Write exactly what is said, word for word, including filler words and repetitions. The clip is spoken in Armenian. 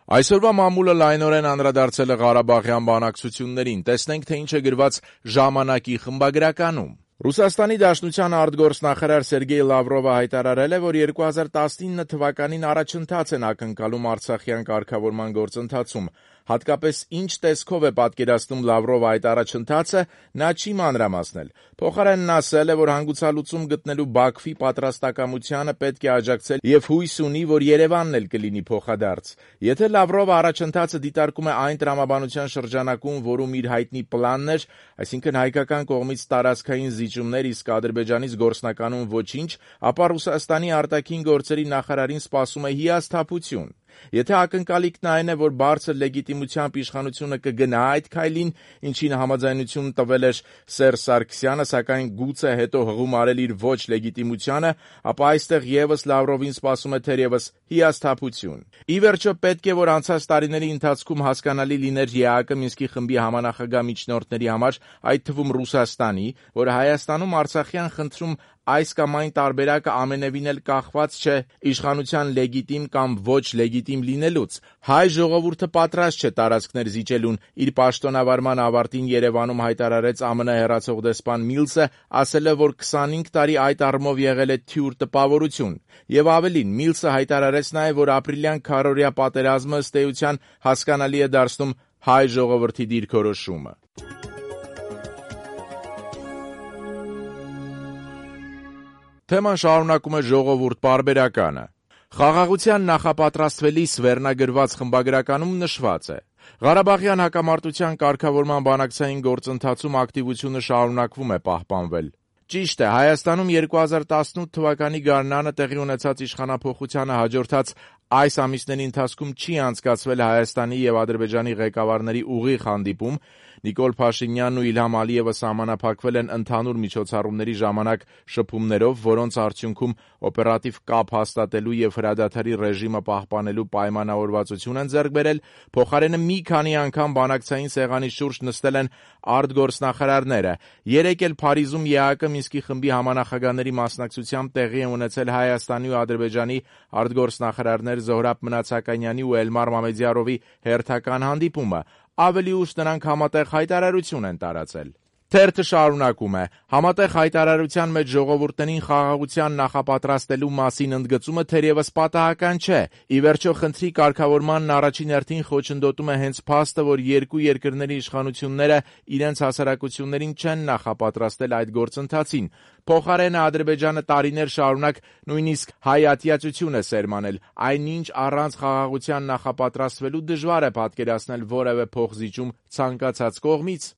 Այսօրվա մամուլը լայնորեն անդրադարձել է Ղարաբաղյան բանակցություններին, տեսնենք, թե ինչ է գրված «Ժամանակ»-ի խմբագրականում։ Ռուսաստանի Դաշնության արտգործնախարար Սերգեյ Լավրովը հայտարարել է, որ երկու հազար տասնինը թվականին առաջընթաց են ակնկալում արցախյան կարգավորման գործընթացում։ Հատկապես ինչ տեսքով է պատկերացնում Լավրովը այդ առաջընթացը, նա չի մանրամասնել։ Փոխարենն ասել է, որ հանգուցալուծում գտնելու Բաքվի պատրաստակամությանը պետք է աջակցել և հույս ունի, որ Երևանն էլ կլինի փոխադարձ։ Եթե Լավրովը առաջընթացը դիտարկում է այն տրամաբանության շրջանակում, որում իր հայտնի պլանն էր, այսինքն հայկական կողմից տարածքային զիջումներ, իսկ Ադրբեջանից գործնականում ոչինչ, ապա Ռուսաստանի արտաքին գործերի նախարարին սպասում է հիասթափություն։ Եթե ակնկալիքն այն է, որ բարձր լեգիտիմությամբ իշխանությունը կգնա այդ քայլին, ինչին համաձայնություն տվել էր Սերժ Սարգսյանը, սակայն գուցե հետո հղում արել իր ոչ լեգիտիմությանը, ապա այստեղ ևս Լավրովին սպասում է թերևս հիասթափություն։ Ի վերջո, պետք է, որ անցած տարիների ընթացքում հասկանալի լիներ ԵԱՀԿ Մինսկի խմբի համանախագահ միջնորդների համար, այդ թվում Ռուսաստանի, որ Հայաստանում արցախյան խնդրում այս կամ այն տարբերակը ամենևին էլ կախված չէ իշխանության լեգիտիմ կամ ոչ լեգիտիմ լինելուց։ Հայ ժողովուրդը պատրաստ չէ տարածքներ զիջելուն, իր պաշտոնավարման ավարտին Երևանում հայտարարեց ԱՄՆ հեռացող դեսպան Միլսը, ասել է, որ քսանհինգ տարի այդ առումով եղել է թյուր տպավորություն։ Եվ ավելին, Միլսը հայտարարեց նաև, որ ապրիլյան քառօրյա պատերազմը ըստ էության հասկանալի է դարձնում հայ ժողովրդի դիրքորոշումը։ Թեման շարունակում է «Ժողովուրդ» պարբերականը։ Խաղաղության նախապատրաստվելիս վերնագրված խմբագրականում նշված է. Ղարաբաղյան հակամարտության կարգավորման բանակցային գործընթացում ակտիվությունը շարունակվում է պահպանվել։ Ճիշտ է, Հայաստանում երկու հազար տասնութ թվականի գարնանը տեղի ունեցած իշխանափոխությանը հաջորդած այս ամիսների ընթացքում չի անցկացվել Հայաստանի և Ադրբեջանի ղեկավարների ուղիղ հանդիպում։ Նիկոլ Փաշինյանն ու Իլհամ Ալիևը սահմանափակվել են ընդհանուր միջոցառումների ժամանակ շփումներով, որոնց արդյունքում օպերատիվ կապ հաստատելու և հրադադարի ռեժիմը պահպանելու պայմանավորվածություն են ձեռք բերել։ Փոխարենը մի քանի անգամ բանակցային սեղանի շուրջ նստել են արտգործնախարարները։ Երեկ էլ Փարիզում ԵԱՀԿ Մինսկի խմբի համանախագահների մասնակցությամբ տեղի է ունեցել Հայաստանի ու Ադրբեջանի արտգործնախարարներ Զոհրաբ Մնացականյանի ու Էլմար Մամեդյարովի հերթական հանդիպումը։ Ավելի ուշ նրանք համատեղ հայտարարություն են տարածել։ Թերթը շարունակում է. Համատեղ հայտարարության մեջ ժողովուրդներին խաղաղության նախապատրաստելու մասին ընդգծումը թերևս պատահական չէ։ Ի վերջո, խնդրի կարգավորմանն առաջին հերթին խոչընդոտում է հենց փաստը, որ երկու երկրների իշխանությունները իրենց հասարակություններին չեն նախապատրաստել այդ գործընթացին։ Փոխարենը Ադրբեջանը տարիներ շարունակ նույնիսկ հայատյացություն է սերմանել, այնինչ առանց խաղաղության նախապատրաստվելու դժվար է պատկերացնել որևէ փոխզիջում ցանկացած կողմից։